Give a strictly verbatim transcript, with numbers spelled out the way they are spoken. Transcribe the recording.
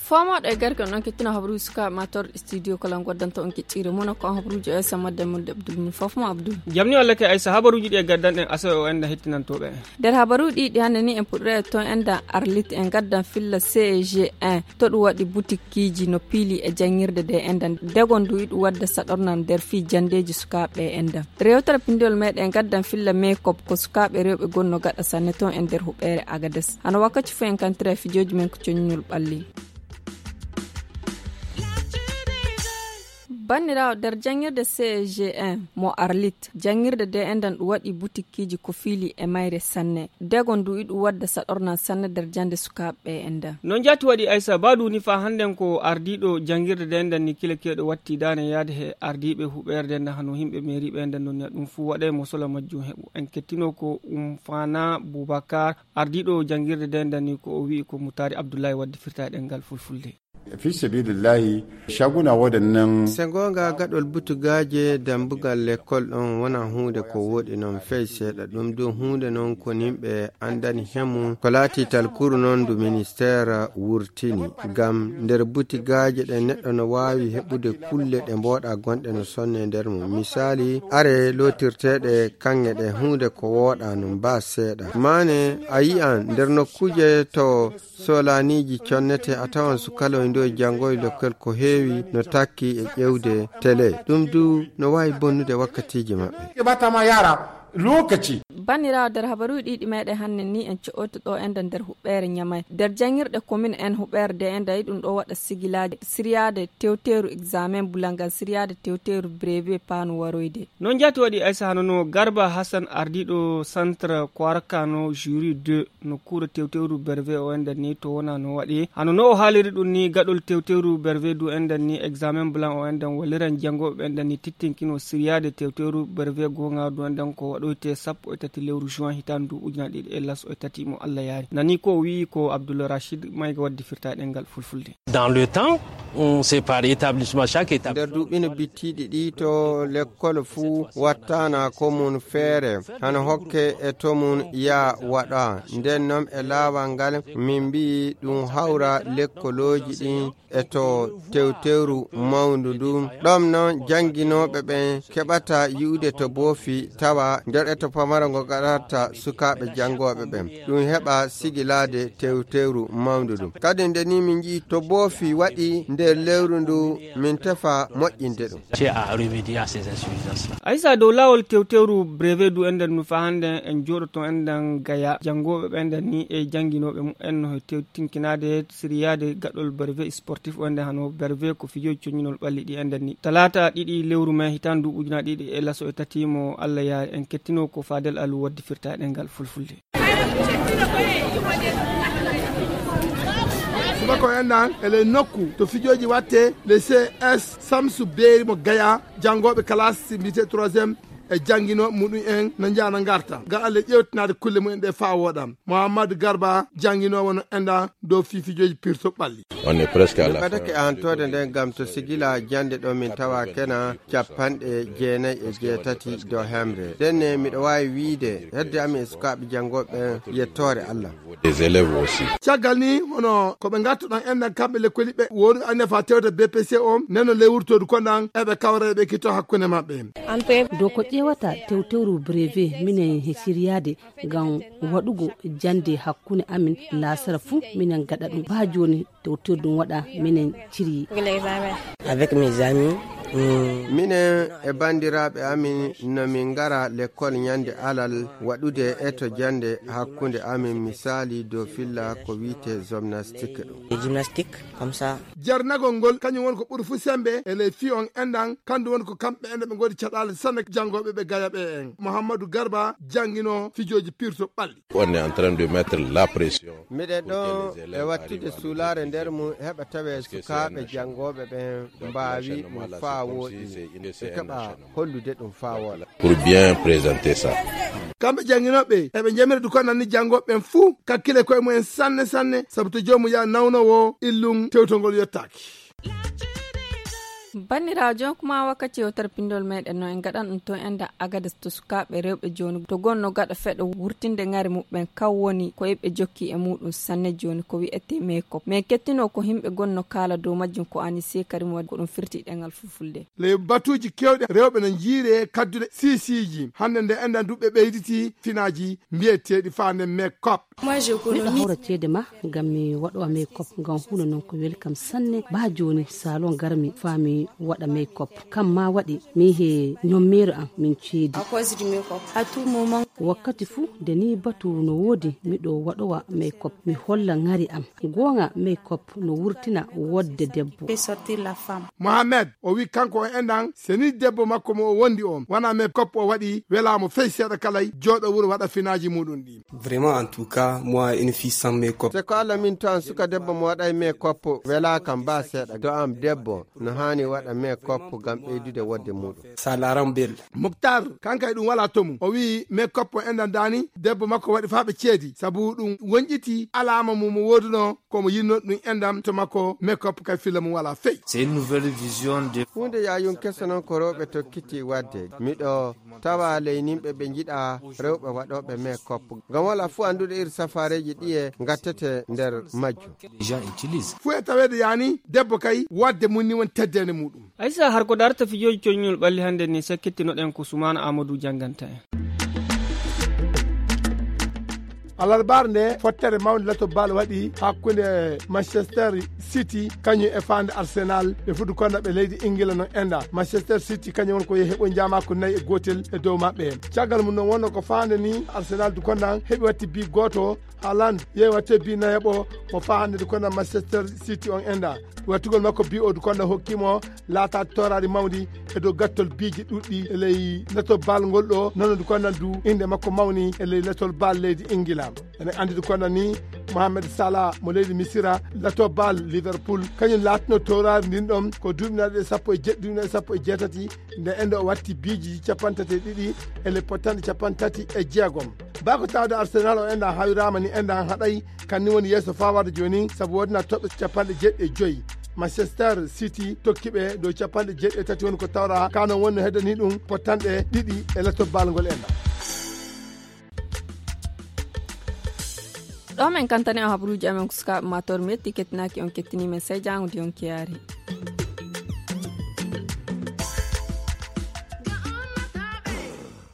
Fomooɗo e garke on kettino habaruuji sukaaɓe ma torɗe studio kala on goddanta on keccire mona ko on habaruuji o esa madde mudde abdoul mun fof mo abdoul. Jamni walla ke aysa habaruuji ɗi e gaddanɗen asoɓe o enda hettinantooɓe en. Nder habaruuji ɗi hannde ni en puɗɗoyat toon enda arlit en gaddan filla ceg un to ɗum waɗi butikkiiji no piili e janngirde nde enda degon ndu iɗum wadda saɗornal nder fii janndeeji sukaaɓe e enda rewtere pindiwol meɗen gaddan filla mekop ko sukaaɓe rewɓe gonno gaɗa sanne toon e nder huɓeere agades hano wakkati fof en kantira e fijooji men ko coññol ɓalli. Banndiraawo nder janngirde ceg un mo arlit janngirde nde endan ɗum waɗi butikkiiji ko fiili e mayre sanne dego ndu iɗum wadda saɗornal sanne nder jannde sukaaɓe ɓe endan. No njaati waɗi aysa baadu ni faa hannden ko ardiiɗo janngirde nde endan ni kile keeɗo watti daane yaade he ardiiɓe huɓeerde nde hano yimɓe meeriiɓe endan no niya ɗum fuu waɗay mo sola majjum heɓu en kettino ko um faana bubakar ardiiɗo janngirde nde endan ni ko o wi'i ko mutaari abdullahi waddi firta e ɗemngal fulfulde. Fi sabilillahi, caguna waɗannan. Se goonga gaɗol butugaaje dambugal lekkol ɗon wona huunde ko wooɗi non fey seeɗa ɗum du huunde non ko nimɓe anndani hemu ko laati talkuru non ndu ministeer wurtini ngam nder butigaaje ɗe neɗɗo no waawi heɓude kulle ɗe mbooɗa gonɗe no sonne nder mum misaali are lootirteeɗe kaŋŋe ɗe huunde ko wooɗa no mbaa seeɗa maane a yi'an nder nokkuuje to soolaniiji connete a tawan sukaloy ndoy janngoy lokkel ko heewi no takki e ƴewde tele ɗum du no waawi bonnude wakkatiiji maɓɓe. Keɓatama yara lokaci. Banniraawo nder habaruuji ɗiɗi meɗen hannde ni en co'oyto ɗo enda nder huɓɓeere ñamay nder janngirɗe komin en huɓɓeere de enda e ɗum ɗo waɗa sigilaaji siryaade tewteeru examen bulangal siryaade tewteeru brevet paanu waroyde. Noon jaati waɗi aysa hano no garba hasan ardiiɗo centre koarkano juri deux no kuura tewtewru berve o endan ni to wona no waɗi hano no o haaliri ɗum ni gaɗol tewtewru berve du endan ni examen blanc o endan walliran janngooɓe ɓe endan ni tittinkino siryaade tewtewru berve goonga du endan ko waɗoyte sappo e tati lewru juin hitan du ujuna ɗiɗi e laso e tati mo allah yaari nani ko o wi'i ko abdoul rachid mayga waddi firta e ɗemngal fulfulde. Dans le temps, c'est par établissement chaque établissement nder duuɓi no bittiiɗi ɗi to lekkol fuu wattana ko mum feere hano hokke e to mum yaa waɗa nden noon e laawal ngal min mbiyi ɗum hawra lekkolooji ɗin e to tewtewru mawndu ndun ɗon noon jannginooɓe ɓen keɓata yi'ude to boofi tawa nder e to pamaro ngo gaɗata sukaaɓe janngooɓe ɓen ɗum heɓa sigilaade tewtewru mawndu ndun kadi nde ni min nji'i to boofi waɗi nder lewru ndu min tefa moƴƴinde ɗum. Aysa dow laawol tewtewru brevet du enɗen no faa hannde en jooɗoto enɗen gaya janngooɓe ɓe enɗen ni e jannginooɓe mumen no he tewtinkinaade siriyaade gaɗol brevet sportif o enɗen hano brevet ko fijooji coññinol ɓalli ɗi enɗen ni talaata ɗiɗi lewru mai hitaande duuɓi ujunaaji ɗiɗi e laso e tati mo allah yaari en kettino ko faadel alu waddi firta e ɗemngal fulfulde. Subaka o enɗan e ley nokku to fijooji watte le cs samsu beeri mo gaya janngooɓe kalaasi mbiyetee troisième e jannginooɓe muɗum en no njaha no ngarta ngam allah ƴeewtinaade kulle mumen ɗe faa wooɗa. Muhammadu garba jannginoowo no enɗan dow fii fijooji pirto ɓalli. On est presque à la ɓadake antoode nden ngam to sigila jannde ɗo min tawa kena capanɗe jeenayi e jeetati dow hemre ndenne miɗo waawi wiide hedde amin e sukaaɓe janngooɓe ɓen yettoore allah. Des élèves aussi. Caggal ni hono ko ɓe ngartuɗon enɗan kamɓe lekkoliɓɓe wooɗuɓe anniya faa tewta bpc o neno ley wurtoodu konɗan eɓe kawra eɓe ekkito hakkunde maɓɓe. Dow ko ƴeewata tewtewru brevet minen he siriyaade ngam waɗugo jannde hakkunde amin laasara fuu minen gaɗa ɗum baa jooni tewtewru ɗum waɗa minen ciryi. Avec mes amis. Minen e banndiraaɓe amin no min ngara lekkol ñande alal waɗude eto jannde hakkunde amin misaali dow filla ko wiyetee gymnastique ɗum. Gymnastique comme ça. Jarnagol ngol kañum woni ko ɓuri fuu semmbe e ley fii on enɗan kanɗum woni ko kamɓe enɗan ɓe ngoodi caɗaale sanne janngooɓe ɓe gaya ɓe en muhammadu garba jannginoo fijooji pirto ɓalli. On est en train de mettre la pression. Miɗen ɗo e wattude suulaare nder mum heɓa tawe sukaaɓe janngooɓe ɓen mbaawi ɗum faa. Haa wooɗi ɓe keɓa hollude ɗum faa wooɗa. Pour bien présenter ça. Kamɓe jannginooɓe eɓe njamira du ko nanni janngooɓe ɓen fuu kakkile koye mumen sanne sanne, sabu to joomum yaa nawno woo illum tewtongol yottaaki. Banndiraajo, kuma wakkati o tarpindol meɗen no en gaɗan ɗum to enda Agades to sukaaɓe rewɓe jooni to gonno gaɗa feɗo wurtinde ŋari muɓɓen kan woni ko eɓe jokki e muɗum sanne jooni ko wi'ete meekop. Men kettino ko himɓe gonno kaala dow majjum ko ani sekari mo ko ɗum firti ɗengal fulfulde. Ley batuuji keewɗi rewɓe no njiiri e kadduɗe siisiiji. Hannde nde enɗan duɓɓe ɓeyditi finaaji mbiyeteeɗi faande meekop. Miɗo hawra ceede ma ngam mi waɗowa meekop ngam huunde non ko weli kam sanne. Baa jooni salon garmi faa mi waɗa meekop. Kam ma waɗi min he ñommeero am min ceedi. Wakkati fuu nde nii batu no woodi miɗo waɗowa meekop mi holla ŋari am. Gooŋa meekop no wurtina wodde debbo. Mohamed o wi kanko o enɗan seni debbo makko mo o wondi on wana meekop o waɗi welaamo fey seeɗa kalay jooɗo wuro waɗa finaaji muɗum ɗi. Vraiment, en tout cas, moi, une fille sans make-up. Se ko Alla min to an suka debbo mo waɗay make-up welaa kam baa seeɗa. To am debbo no haani waɗa make-up ngam ɓeydude wodde muɗum. Ça la rend belle. Moktar, kanka e ɗum walaa to mum. O wi'i make-up o enɗan daani, debbo makko waɗi faa ɓe ceedi. Sabu ɗum wonƴiti alaama mum mo woodunoo, ko mo yinnoo ɗum enɗan to makko, make-up kay filla mum walaa fey. C'est une nouvelle vision de Huunde yaayum keso noon ko rewɓe tokkiti waɗde. Miɗo tawa ley nimɓe ɓe njiɗa rewɓe waɗooɓe make-up. Ngam walaa fuu annduɗo iri safaareeji ɗiye ngattete nder majjum. Les gens utilisent. Fuu e taweede yaani, debbo kay, waɗde mum ni woni teddeende muɗum. Aysa, har ko darta fijooji coññol ɓalli hannde ni, sakkittinoɗen ko Sumaana Amadou jannganta en. Alarbaare nde, fottere mawnde lato bal waɗi hakkunde Manchester City, kañum e faande Arsenal, ɓe fuɗi konnaɓe leydi Ingila no enda. Manchester City kañum won ko yehi heɓo jaamaaku nayi e gootel e dow maɓɓe. Caggal mum non wonno ko faande ni Arsenal du konnan heɓi watti bi gooto. Haaland yehi watte bi nayaɓo mo faa hannde du konnan Manchester City on enda. Wattugol makko bi o du konnan hokki mo laata toraari mawndi e dow gattol biiji ɗuɗɗi e ley lato bal ngol ɗo. Nono du konnan du innde makko mawni e ley latol bal leydi Ingila. Ene anndi du konnan ni Mohamed Salah mo leydi Misira, lato bal Liverpool, kañum laatino toraari ndin ɗon ko duuɓi nayi e sappo e jeɗɗi, duuɓi nayi e sappo e jeetati, nde endo o watti biiji capanɗe tati e ɗiɗi e le pottanɗe capanɗe tati e jeegom. Bako tawde Arsenal o enda hawiraama ni enda haɗay, kan ni woni yeeso faa warde jooni, sabu woodina toɓɓe capanɗe jeeɗiɗi e joyi. Manchester City tokki ɓe dow capanɗe jeeɗiɗi e tati woni ko tawra, kanon woni no heddani ɗum pottanɗe ɗiɗi e lato bal ngol enda. Ɗo men kantani on habaruuji amen ko sukaaɓe ma tor mi yetti kettinaaki on kettini men sey jaango de on kiyaari.